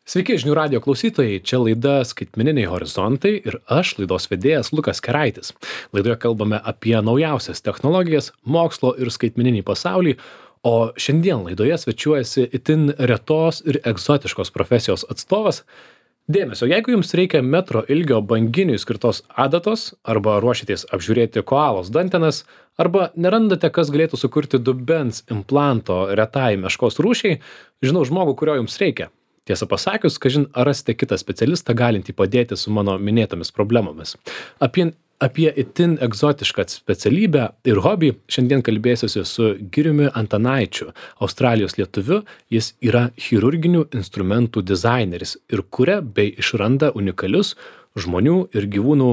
Sveiki, žinių radio klausytojai, čia laida Skaitmeniniai horizontai ir aš, laidos vedėjas Lukas Keraitis. Laidoje kalbame apie naujausias technologijas, mokslo ir skaitmeninį pasaulį, o šiandien laidoje svečiuojasi itin retos ir egzotiškos profesijos atstovas. Dėmesio, jeigu jums reikia metro ilgio banginiui skirtos adatos, arba ruošitės apžiūrėti koalos dantenas, arba nerandate, kas galėtų sukurti dubens implanto retai meškos rūšiai, žinau žmogų, kurio jums reikia. Tiesą pasakius, kažin ar rasite kitą specialistą galintį padėti su mano minėtomis problemomis. Apie itin egzotišką specialybę ir hobį šiandien kalbėsiuosi su Giriumi Antanaičiu, Australijos lietuviu. Jis yra chirurginių instrumentų dizaineris ir kuria bei išranda unikalius žmonių ir gyvūnų,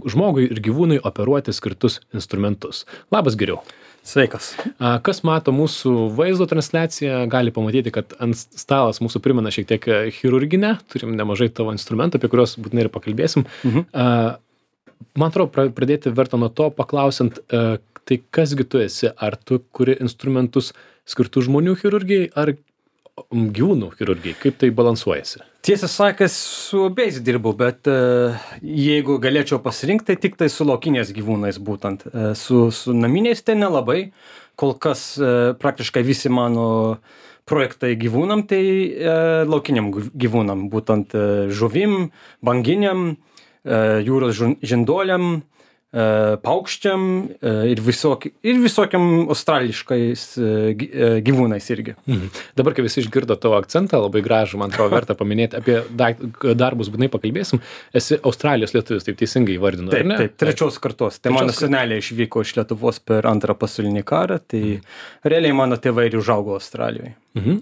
žmogui ir gyvūnui operuoti skirtus instrumentus. Labas, Giriau. Sveikas. Kas mato mūsų vaizdo transliaciją, gali pamatyti, kad ant stalas mūsų primena šiek tiek chirurginę. Turim nemažai tavo instrumentų, apie kuriuos būtinai ir pakalbėsim. Man atrodo, pradėti verta nuo to, paklausant, tai kasgi tu esi? Ar tu kuri instrumentus skirtų žmonių chirurgijai ar gyvūnų chirurgijai? Kaip tai balansuojasi? Tiesą sakęs, su abiejais dirbu, bet jeigu galėčiau pasirinkti, tik tai su laukiniais gyvūnais būtent. Su naminiais tai nelabai. Kol kas praktiškai visi mano projektai gyvūnam, tai laukiniam gyvūnam, būtent žuvim, banginiam, jūros žinduoliam, paukščiam ir visokiam australiškais gyvūnais irgi. Dabar, kai visi išgirdo tavo akcentą, labai gražų, man atrodo, verta paminėti, apie darbus būtinai pakalbėsim. Esi Australijos lietuvis, taip teisingai įvardinu, ar ne? Taip, trečios kartos. Tai mano seneliai išvyko iš Lietuvos per Antrą pasaulinį karą, tai realiai mano tėvai ir užaugo Australijoje.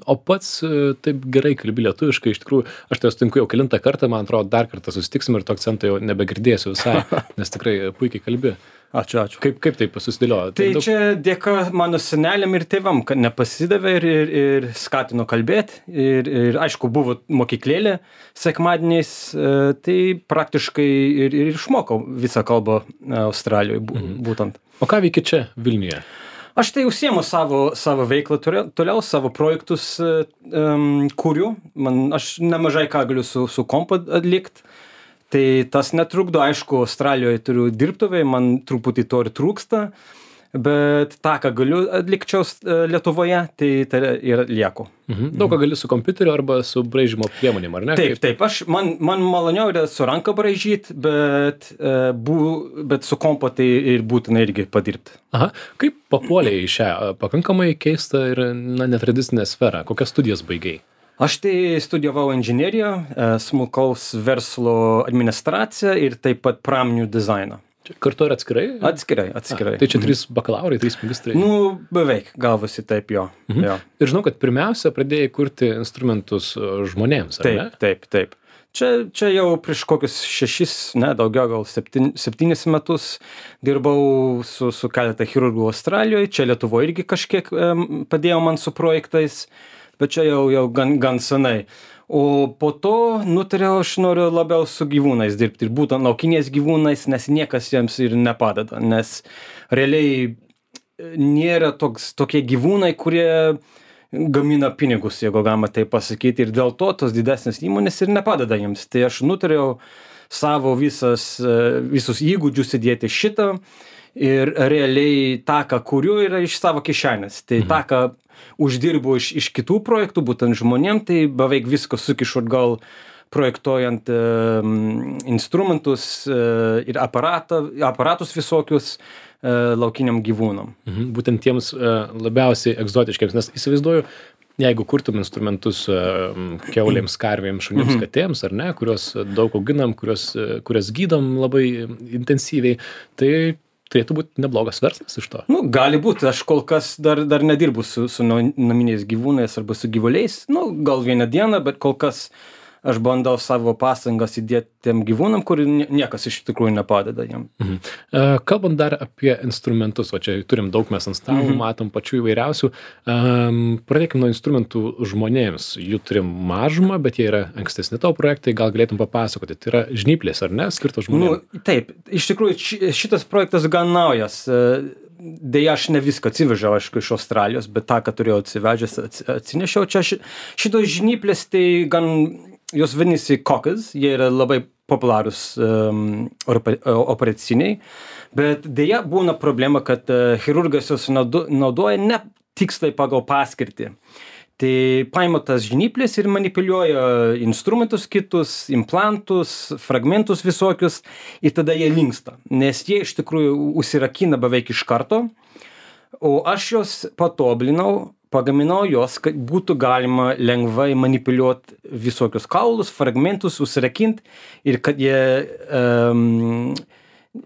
O pats taip gerai kalbi lietuviškai, iš tikrųjų, aš tai sutinku jau kelintą kartą, man atrodo, dar kartą susitiksim ir to akcento jau nebegirdėsiu visai, nes tikrai puikiai kalbi. Ačiū. Kaip taip susidėliojo? Tai čia dėka mano seneliam ir tėvam, kad nepasidavė ir skatino kalbėti. Ir aišku, buvo mokyklėlė sekmadieniais, tai praktiškai ir išmokau visą kalbą Australijoje būtent. O ką veiki čia Vilniuje? Aš tai užsiemu savo veiklą, toliau savo projektus kuriu. Aš nemažai ką galiu su kompu atlikti. Tai tas netrukdo, aišku, Australijoje turiu dirbtuvę, man truputį to ir trūksta, bet tą, ką galiu atlikčiau Lietuvoje, tai ir lieku. Daug ką gali su kompiuteriu arba su braižymo priemonėm, ar ne? Taip, man maloniau yra su ranka braižyti, bet su kompo tai ir būtina irgi padirbti. Aha, kaip papuolei į šią pakankamai keistą ir netradicinę sferą? Kokias studijas baigei? Aš tai studijavau inžineriją, smulkaus verslo administraciją ir taip pat pramoninių dizainą. Kartu ar atskirai? Atskirai. Tai čia 3 bakalaurai, 3 magistrai? Beveik gavosi taip, jo. Ir žinau, kad pirmiausia pradėjai kurti instrumentus žmonėms, ar ne? Taip. Čia jau prieš kokius 6, daugiau gal 7 metus dirbau su keletą chirurgų Australijoje. Čia Lietuvoje irgi kažkiek padėjo man su projektais. Bet čia jau gan senai. O po to nutariau, aš noriu labiau su gyvūnais dirbti. Ir būtent laukiniais gyvūnais, nes niekas jiems ir nepadeda. Nes realiai nėra tokie gyvūnai, kurie gamina pinigus, jeigu galima tai pasakyti. Ir dėl to tos didesnės įmonės ir nepadeda jiems. Tai aš nutariau savo visus įgūdžius įdėti šitą. Ir realiai tą, ką kuriu, yra iš savo kišenės. Tai tą, ką uždirbu iš kitų projektų, būtent žmonėm, tai beveik viską sukišu atgal projektuojant instrumentus ir aparatus visokius laukiniam gyvūnam. Būtent tiems labiausiai egzotiškiams, nes įsivaizduoju, jeigu kurtum instrumentus kiaulėms, karvėms, šunims, katėms, ar ne, kuriuos daug auginam, kurias gydom labai intensyviai, tai turėtų būti neblogas verslas iš to. Gali būti. Aš kol kas dar nedirbu su naminiais gyvūnais arba su gyvuliais. Gal vieną dieną, bet kol kas aš bandau savo pastangas įdėti tiem gyvūnam, kur niekas iš tikrųjų nepadeda jiem. Kalbant dar apie instrumentus, o čia turim daug mes ant stalo, matom pačių įvairiausių. Pradėkime nuo instrumentų žmonėms. Jų turim mažumą, bet jie yra ankstesni tavo projektai, gal galėtum papasakoti. Tai yra žnyplės, ar ne, skirtos žmonėms? Taip, iš tikrųjų šitas projektas gan naujas. deja aš ne viską atsivežiau, aišku, iš Australijos, bet tą, ką turėjau atsivežęs, atsinešiau. Čia šitos žnyplės, tai gan, jos vadinasi Cockers, jie yra labai populiarūs operaciniai, bet deja būna problema, kad chirurgas jos naudoja ne tiksliai pagal paskirtį. Tai paima tas žnyplės ir manipuliuoja instrumentus kitus, implantus, fragmentus visokius ir tada jie linksta, nes jie iš tikrųjų užsirakina beveik iš karto, o aš juos patoblinau, pagaminau juos, kad būtų galima lengvai manipuliuoti visokius kaulus, fragmentus, užsirakinti ir kad jie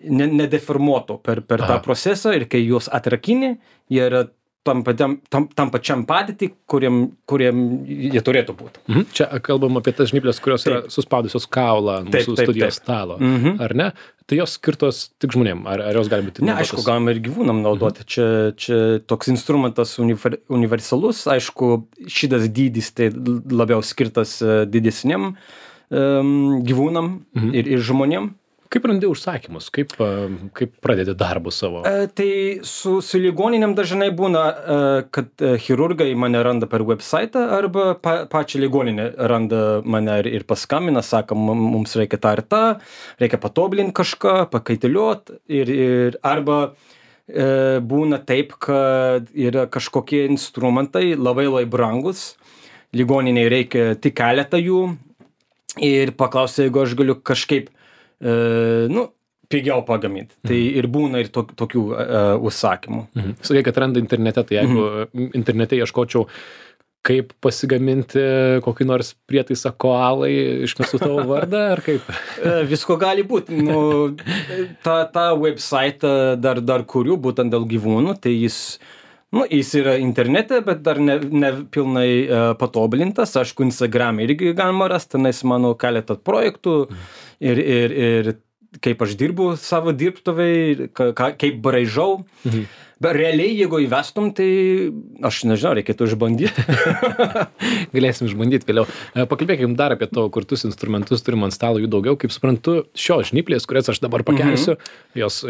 nedeformuotų per tą procesą ir kai juos atrakini, jie yra tam pačiam padėtį, kuriem jie turėtų būti. Čia kalbam apie tas žnyplės, kurios yra suspaudusios kaulą mūsų studijos stalo, ar ne? Tai jos skirtos tik žmonėm, ar jos gali būti naudotas? Ne, aišku, galima ir gyvūnam naudoti. Čia toks instrumentas universalus, aišku, šitas dydis tai labiau skirtas didesniam gyvūnam ir žmonėm. Kaip randi užsakymus? Kaip pradedi darbus savo? Tai su ligoninėm dažnai būna, kad chirurgai mane randa per website arba pačią ligoninę randa mane ir paskambina, sako, mums reikia tą ir tą, reikia patoblinti kažką, pakaitiliuot ir arba būna taip, kad yra kažkokie instrumentai labai brangus, ligoniniai reikia tik keletą jų ir paklausia, jeigu aš galiu kažkaip pigiau pagaminti. Tai ir būna ir tokių užsakymų. Sakai, kad randa internete, tai jeigu internete ieškočiau, kaip pasigaminti kokį nors prietaisą koalai, išmesiu tavo vardą, ar kaip? Visko gali būti. Ta website dar kuriu, būtent dėl gyvūnų, tai jis yra internete, bet dar ne pilnai patobulintas. Aišku, Instagram irgi galima rasti, nes mano keletą projektų ir kaip aš dirbu savo dirbtuvėj, kaip braižau. Bet realiai, jeigu įvestum, tai aš nežinau, reikėtų išbandyti. Galėsim išbandyti vėliau. Pakalbėkim dar apie tavo kurtus instrumentus, turim ant stalo jų daugiau. Kaip suprantu, šios žnyplės, kurias aš dabar pakelsiu, jos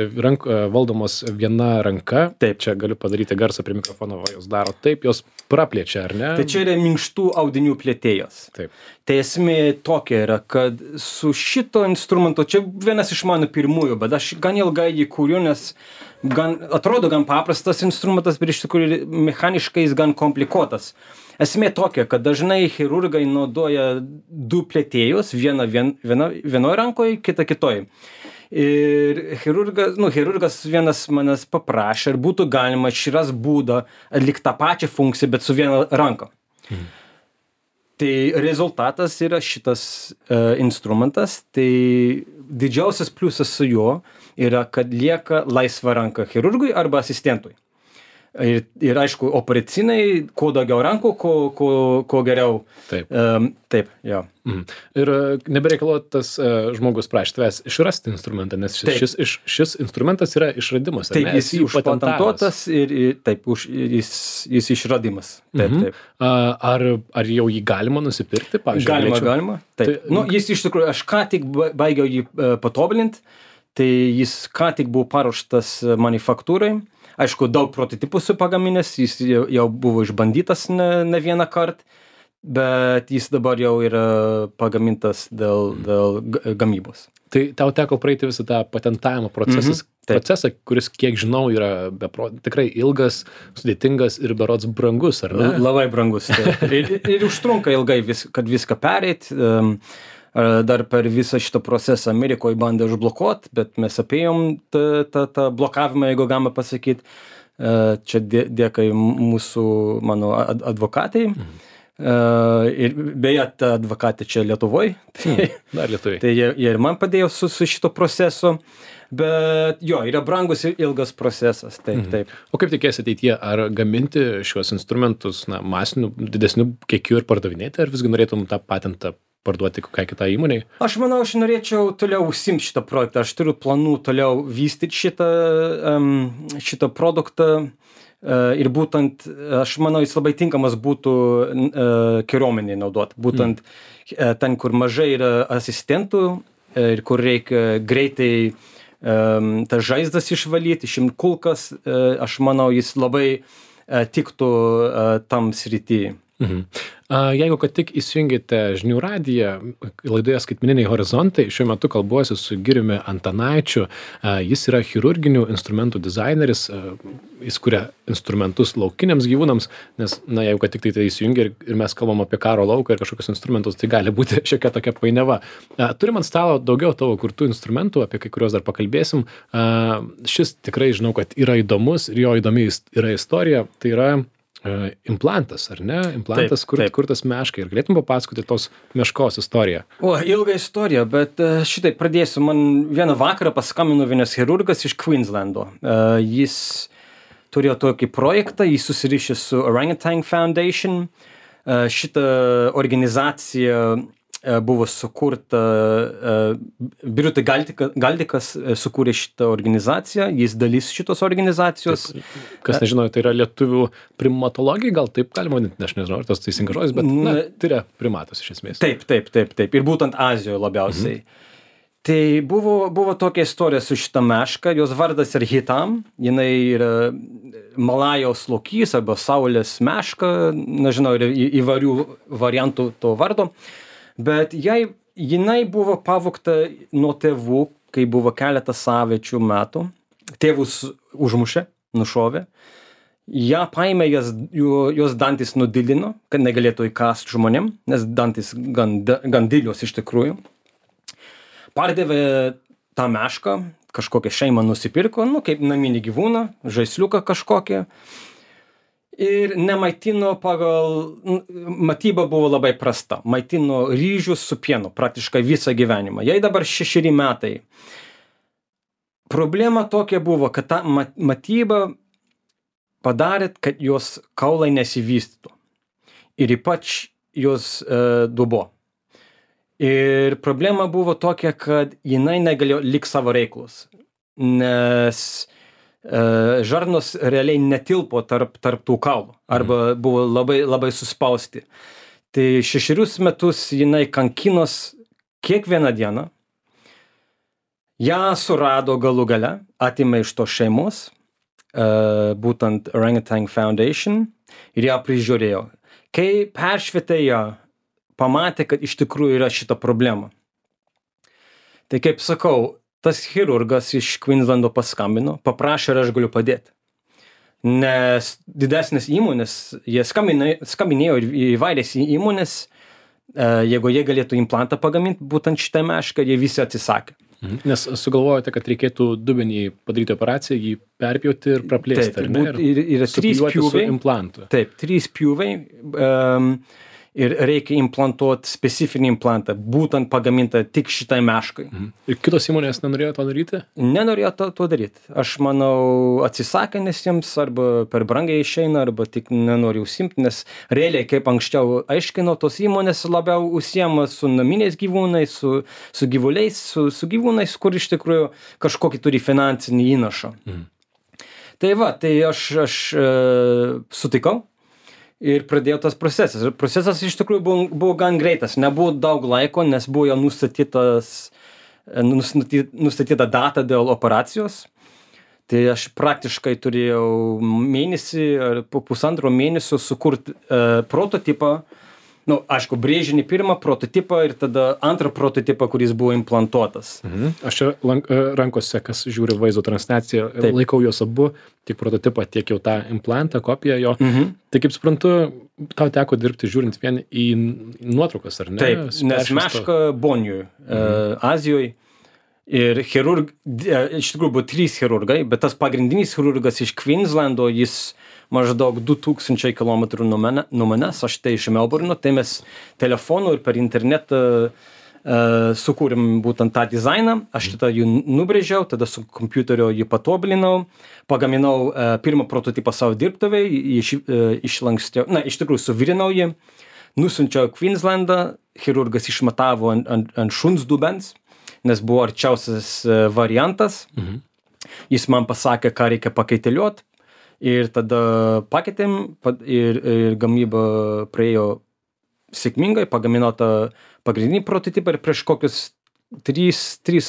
valdomos viena ranka. Taip. Čia galiu padaryti garsą prie mikrofono, jos daro taip, jos praplečia, ar ne? Tai čia yra minkštų audinių plėtėjas. Taip. Tai esmė tokia yra, kad su šito instrumento, čia vienas iš mano pirmųjų, bet aš gan ilgai jį kūriu, nes atrodo gan paprastas instrumentas, bet iš tikrųjų mechaniškai jis gan komplikuotas. Esmė tokia, kad dažnai chirurgai naudoja du plėtėjus, vienoj rankoje, kitą kitoj. Ir chirurgas vienas manęs paprašė, ar būtų galima išrast būdą atlikti tą pačią funkciją, bet su viena ranka. Tai rezultatas yra šitas instrumentas, tai didžiausias pliusas su juo yra, kad lieka laisva ranka chirurgui arba asistentui. Ir aišku, operaciniai, kuo daugiau rankų, kuo geriau. Taip. Taip, jo. Ir nebereikalo tas žmogus prašė tavęs išrasti instrumentą, nes šis instrumentas yra išradimas. Taip, jis užpatentuotas ir taip, jis išradimas. Taip. Ar jau jį galima nusipirkti? Pavyzdžiui, galima. Taip. Jis iš tikrųjų, aš ką tik baigiau jį patobulinti, tai jis ką tik buvo paruoštas manufaktūrai. Aišku, daug prototipų su pagaminęs, jis jau buvo išbandytas ne vieną kartą, bet jis dabar jau yra pagamintas dėl gamybos. Tai tau teko praeiti visą tą patentavimo procesą, kuris, kiek žinau, yra tikrai ilgas, sudėtingas ir berods brangus, ar ne? Labai brangus. Ir užtrunka ilgai, kad viską pereit. Dar per visą šitą procesą Amerikoje bandė užblokuoti, bet mes apėjom tą blokavimą, jeigu galima pasakyti. Čia dėka mano advokatai. Ir beje, ta advokatė čia Lietuvoje. Dar Lietuvoje. Tai jie ir man padėjo su šito procesu. Bet jo, yra brangus ir ilgas procesas. Taip. O kaip tikėsi ateityje, ar gaminti šiuos instrumentus masiniu, didesniu kiekiu ir pardavinėti, ar visgi norėtum tą patentą parduoti kokiai kitai įmonei? Aš manau, aš norėčiau toliau užsimti šitą projektą. Aš turiu planų toliau vystyti šitą produktą. Ir būtent, aš manau, jis labai tinkamas būtų kariuomeniai naudoti. Būtent ten, kur mažai yra asistentų ir kur reikia greitai tas žaizdas išvalyti, išimt kulkas, aš manau, jis labai tiktų tam srity. Jeigu kad tik įsijungėte žinių radiją, laidoje Skaitmeniniai horizontai, šiuo metu kalbuosi su Giriumi Antanaičiu. Jis yra chirurginių instrumentų dizaineris, jis kuria instrumentus laukiniams gyvūnams, nes, jeigu kad tik tai įsijungia ir mes kalbam apie karo lauką ir kažkokius instrumentus, tai gali būti šiokia tokia painiava. Turim ant stalo daugiau tavo kurtų instrumentų, apie kai kuriuos dar pakalbėsim. Šis tikrai žinau, kad yra įdomus ir jo įdomi yra istorija. Tai yra implantas, ar ne? Implantas, kurtas meškai. Ir galėtum papasakoti tos meškos istoriją? Ilga istorija, bet šitai pradėsiu. Man vieną vakarą paskambino vienas chirurgas iš Queenslando. Jis turėjo tokį projektą, jis susirišė su Orangutan Foundation. Šita organizacija buvo sukurta, Birutė Galdikas sukūrė šitą organizaciją, jis dalis šitos organizacijos. Taip, kas nežino, tai yra lietuvių primatologija, gal taip galima vadinti, aš nežinau, ar tas teisingas žodis, bet tai yra primatas iš esmės. Taip. Ir būtent Azijoje labiausiai. Tai buvo tokia istorija su šita meška, jos vardas yra Hitam, jinai yra Malajaus lokys arba saulės meška, nežinau, yra įvairių variantų to vardo. Bet jinai buvo pavogta nuo tėvų, kai buvo keletą savaičių metų. Tėvus užmušė, nušovė. Ja paėmė, jos dantis nudilino, kad negalėtų įkąsti žmonėm, nes dantis gan didelios iš tikrųjų. Pardavė tą mešką, kažkokią šeimą nusipirko, kaip naminį gyvūną, žaisliuką kažkokią. Ir nemaitino matyba buvo labai prasta. Maitino ryžius su pienu praktiškai visą gyvenimą. Jai dabar 6 metai. Problema tokia buvo, kad ta matyba padarė, kad jos kaulai nesivystytų. Ir ypač jos dubuo. Ir problema buvo tokia, kad jinai negalėjo likti savo reiklus. Nes žarnos realiai netilpo tarp tų kaulų arba buvo labai suspausti. Tai 6 metus jinai kankinos kiekvieną dieną. Ją surado galų gale, atėmė iš tos šeimos, būtent Orangutan Foundation, ir ją prižiūrėjo. Kai peršvietė ją, pamatė, kad iš tikrųjų yra šita problema. Tai kaip sakau, tas chirurgas iš Queenslando paskambino, paprašė, ar aš galiu padėti. Nes didesnės įmonės, jie skambinėjo į įvairias įmonės, jeigu jie galėtų implantą pagaminti, būtent šitą mešką, jie visi atsisakė. Nes sugalvojote, kad reikėtų dubenį padaryti operaciją, jį perpjauti ir praplėsti, ar ne? Ir 3 pjūviai. Taip, 3 pjūviai. Ir reikia implantuoti specifinį implantą, būtent pagamintą tik šitai meškai. Ir kitos įmonės nenorėjo to daryti? Nenorėjo to daryti. Aš manau, atsisakė, nes jiems arba per brangiai išeina, arba tik nenori užsimti, nes realiai, kaip anksčiau aiškinau, tos įmonės labiau užsiema su naminiais gyvūnais, su gyvuliais, su gyvūnais, kur iš tikrųjų kažkokį turi finansinį įnašą. Tai aš sutikau. Ir pradėjo tas procesas. Ir procesas iš tikrųjų buvo gan greitas. Nebuvo daug laiko, nes buvo jau nustatyta data dėl operacijos. Tai aš praktiškai turėjau mėnesį ar po 1,5 mėnesio sukurti prototipą. Aišku, brėžinį pirmą prototipą ir tada antrą prototipą, kuris buvo implantuotas. Aš čia rankose, kas žiūri vaizdo transliaciją, laikau juos abu, tiek prototipą, tiek jau tą implantą, kopiją jo. Tai kaip suprantu, tau teko dirbti žiūrint vien į nuotraukas, ar ne? Taip, nes meška Bonijoj, Azijoje. Ir iš tikrųjų buvo 3 chirurgai, bet tas pagrindinis chirurgas iš Queenslando, jis maždaug 2000 km nuo manęs, aš tai iš Melburno, tai mes telefonu ir per internetą sukūrėm būtent tą dizainą, aš šitą jį nubrėžiau, tada su kompiuterio jį patobulinau, pagaminau pirmą prototipą savo dirbtuvėj, išlankstiau, iš tikrųjų suvirinau jį, nusiunčiau Queenslandą, chirurgas išmatavo ant šuns dubens, nes buvo arčiausias variantas, jis man pasakė, ką reikia pakaiteliuot, ir tada pakeitėm ir gamyba praėjo sėkmingai, pagamino tą pagrindinį prototipą ir prieš kokius 4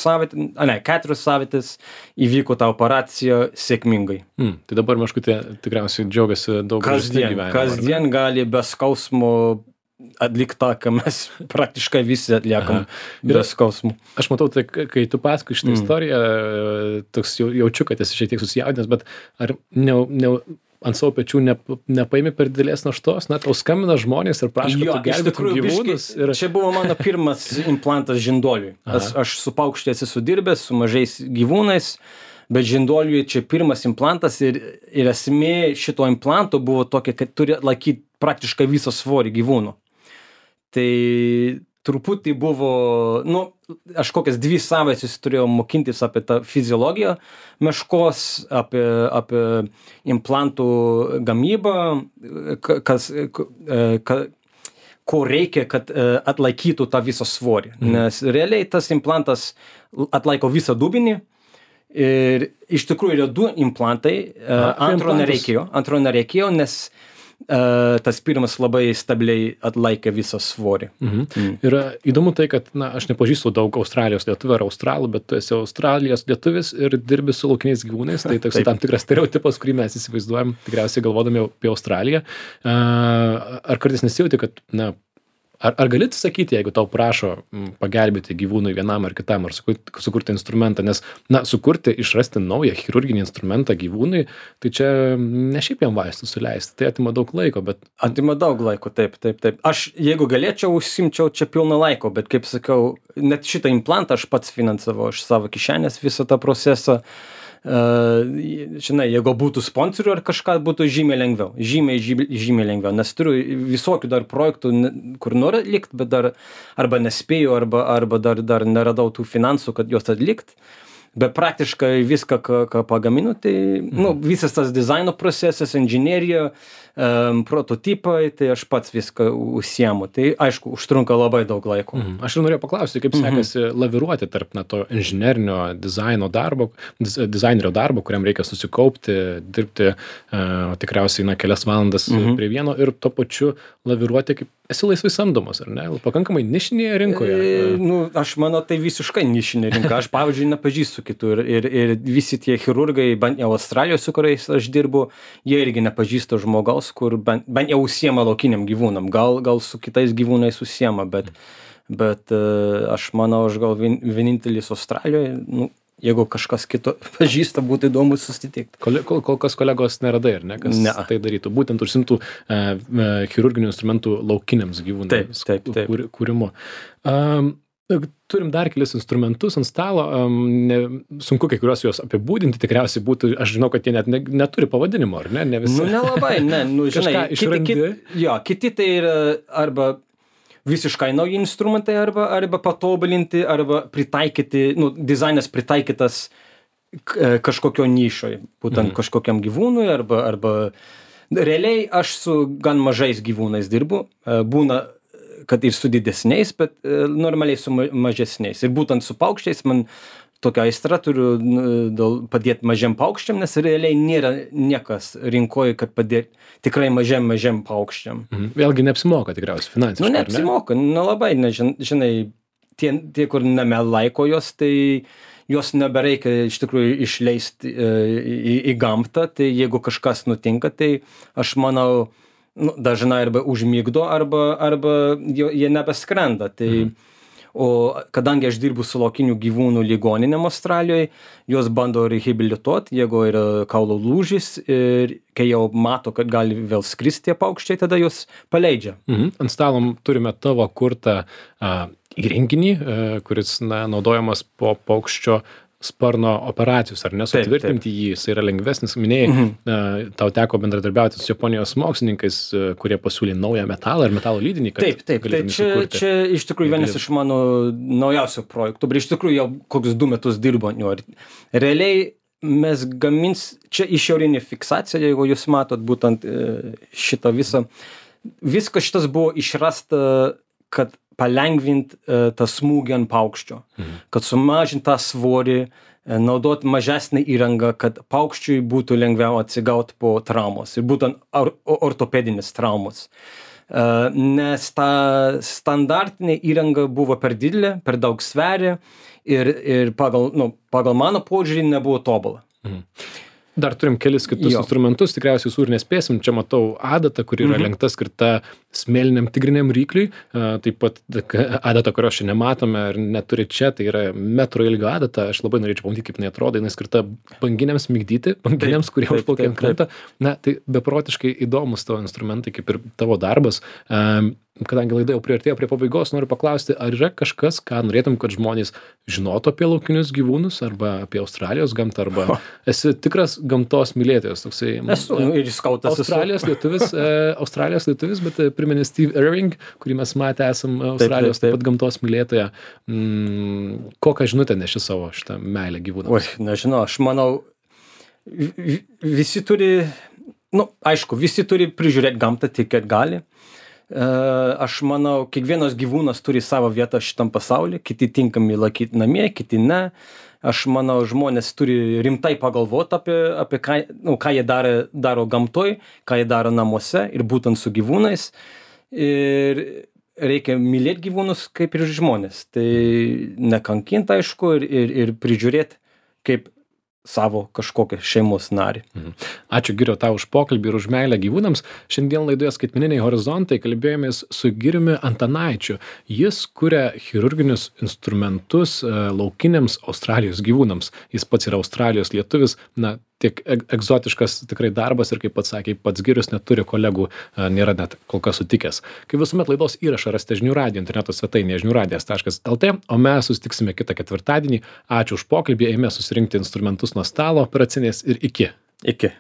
savaitės įvyko ta operacija sėkmingai. Tai dabar Meškutė tikriausiai džiaugiasi daug gražesniu gyvenimu. Kasdien gali be skausmo atlikti tą, ką mes praktiškai visi atliekam be skausmų. Aš matau, tai kai tu pasakoji šitą istoriją, toks jaučiu, kad esi šiek tiek susijaudinęs, bet ar ant savo pečių nepaimi per didelės naštos, na, tau skambina žmonės ir prašo, kad tu gelbėtum gyvūnus. Čia buvo mano pirmas implantas žinduoliui. Aš su paukščiais esu dirbęs, su mažais gyvūnais, bet žinduoliui čia pirmas implantas ir esmė šito implanto buvo tokia, kad turi laikyti praktiškai visą svorį gyvūnų. Tai truputį buvo, aš kokias 2 savaitės turėjau mokintis apie tą fiziologiją meškos, apie implantų gamybą, ko reikia, kad atlaikytų tą visą svorį. Nes realiai tas implantas atlaiko visą dubenį ir iš tikrųjų yra 2 implantai, antro nereikėjo, nes tas pirmas labai stabiliai atlaikė visą svorį. Ir įdomu tai, kad, aš nepažįstu daug Australijos lietuvių ar australų, bet tu esi Australijos lietuvis ir dirbi su laukiniais gyvūnais, tai toks tam tikras stereotipas, kurį mes įsivaizduojam, tikriausiai galvodami apie Australiją. Ar kartais nesijauti, kad, ar gali sakyti, jeigu tau prašo pagelbėti gyvūnui vienam ar kitam, ar sukurti instrumentą, nes, sukurti, išrasti naują chirurginį instrumentą gyvūnui, tai čia ne šiaip jam vaistų suleisti, tai atima daug laiko, bet... Atima daug laiko, taip. Aš, jeigu galėčiau, užsimčiau čia pilną laiko, bet kaip sakau, net šitą implantą aš pats finansavau iš savo kišenės visą tą procesą. Žinai, jeigu būtų sponsorių ar kažką, būtų žymiai lengviau, žymiai lengviau, nes turiu visokių dar projektų, kur noriu atlikti, bet dar arba nespėjau, arba dar neradau tų finansų, kad juos atlikti. Bet praktiškai viską, ką pagaminu, tai visas tas dizaino procesas, inžinerija, prototipai, tai aš pats viską užsiemu. Tai aišku, užtrunka labai daug laiko. Aš ir norėjau paklausti, kaip sekasi laviruoti tarp to inžinerinio dizainerio darbo, kuriam reikia susikaupti, dirbti tikriausiai kelias valandas prie vieno ir tuo pačiu laviruoti, kaip esi laisvai samdomas, ar ne? Pakankamai nišinėje rinkoje. Aš manau, tai visiškai nišinė rinka. Aš, pavyzdžiui, nepažįstu kitų ir visi tie chirurgai, bent jau Australijos, su kuriais aš dirbu, jie irgi nepažįsta žmogaus, kur bent jau užsiema laukiniam gyvūnam. Gal su kitais gyvūnais užsiema, bet aš manau, aš gal vienintelis Australijoje, jeigu kažkas kito pažįsta, būtų įdomu susitikti. Kol kas kolegos neradai, ar ne, kas tai darytų? Būtent užsimtų chirurginių instrumentų laukiniams gyvūnams kūrimu. Turim dar kelis instrumentus ant stalo, sunku kai kuriuos juos apibūdinti, tikriausiai būtų, aš žinau, kad jie net neturi pavadinimo, ar ne? Nelabai, žinai, kiti tai yra arba visiškai nauji instrumentai, arba patobulinti, arba pritaikyti, dizainas pritaikytas kažkokio nišoj, būtent kažkokiam gyvūnui, arba realiai aš su gan mažais gyvūnais dirbu, būna, kad ir su didesniais, bet normaliai su mažesniais. Ir būtent su paukščiais man tokia aistra turiu padėti mažiam paukščiam, nes realiai nėra niekas rinkoje, kad padėti tikrai mažiam paukščiam. Vėlgi neapsimoka tikriausiai finansiškai, neapsimoka, labai, žinai, tie, kur laiko jos, tai jos nebereikia iš tikrųjų išleisti į gamtą, tai jeigu kažkas nutinka, tai aš manau, dažnai arba užmigdo, arba jie nebeskrenda. O kadangi aš dirbu su laukinių gyvūnų ligoninėm Australijoje, jos bando rehabilituoti, jeigu yra kaulo lūžis ir kai jau mato, kad gali vėl skristi tie paukščiai, tada jos paleidžia. Ant stalo turime tavo kurtą įrenginį, kuris naudojamas po paukščio sparno operacijos, ar ne, sutvirtinti jį, jis yra lengvesnis, minėjai, tau teko bendradarbiauti su Japonijos mokslininkais, kurie pasiūlė naują metalą ir metalo lydinį, kad Taip, čia iš tikrųjų vienas iš mano naujausių projektų, bet iš tikrųjų jau kokius 2 metus dirbo. Realiai mes čia išorinė fiksacija, jeigu jūs matot būtent šitą viskas šitas buvo išrasta, kad palengvinti tą smūgį ant paukščio, kad sumažinti tą svorį, naudoti mažesnį įrangą, kad paukščiui būtų lengviau atsigauti po traumos ir būtent ortopedinės traumos. nes ta standartinė įranga buvo per didelė, per daug sveria ir pagal mano požiūrį nebuvo tobula. Dar turim kelis kitus instrumentus, tikriausiai visur nespėsim. Čia matau adatą, kuri yra lenkta skirta smėliniam tigriniam rykliui. Taip pat adata, kurios čia nematome ir neturi čia, tai yra metro ilgio adata. Aš labai norėčiau pamatyti, kaip jinai atrodo. Jinai skirta banginiams migdyti, banginiams, kurie užplaukia ant kranto. Na, tai beprotiškai įdomus tavo instrumentai, kaip ir tavo darbas. Kadangi laida jau priartėjo prie pabaigos, noriu paklausti, ar yra kažkas, ką norėtum, kad žmonės žinotų apie laukinius gyvūnus, arba apie Australijos gamtą, arba esi tikras gamtos mylėtojas, toksai. Esu ir skautas. Australijos lietuvis, bet primeni Steve Irving, kurį mes matę esam Australijos taip pat gamtos mylėtoja. Kokią žinutę neši savo šitą meilę gyvūnams? Oi, nežinau, aš manau, visi turi, aišku, visi turi prižiūrėti gamtą tik, kad gali. Aš manau, kiekvienas gyvūnas turi savo vietą šitam pasaulyje, kiti tinkami laikyti namie, kiti ne. Aš manau, žmonės turi rimtai pagalvoti apie ką jie daro gamtoj, ką jie daro namuose ir būtent su gyvūnais. Ir reikia mylėti gyvūnus kaip ir žmonės. Tai nekankinti, aišku, ir prižiūrėti kaip savo kažkokią šeimos narį. Ačiū, Giriau, tau už pokalbį ir už meilę gyvūnams. Šiandien laidoje Skaitmeniniai horizontai kalbėjomės su Giriumi Antanaičiu. Jis kuria chirurginius instrumentus laukiniams Australijos gyvūnams. Jis pats yra Australijos lietuvis, tiek egzotiškas tikrai darbas ir kaip pats sakė, pats Girius neturi kolegų, nėra net kol kas sutikęs. Kaip visuomet laidos įrašą rasite žinių radijo interneto svetainėje žiniųradijas.lt, o mes susitiksime kitą ketvirtadienį. Ačiū už pokalbį, eime susirinkti instrumentus nuo stalo operacinės ir iki. Iki.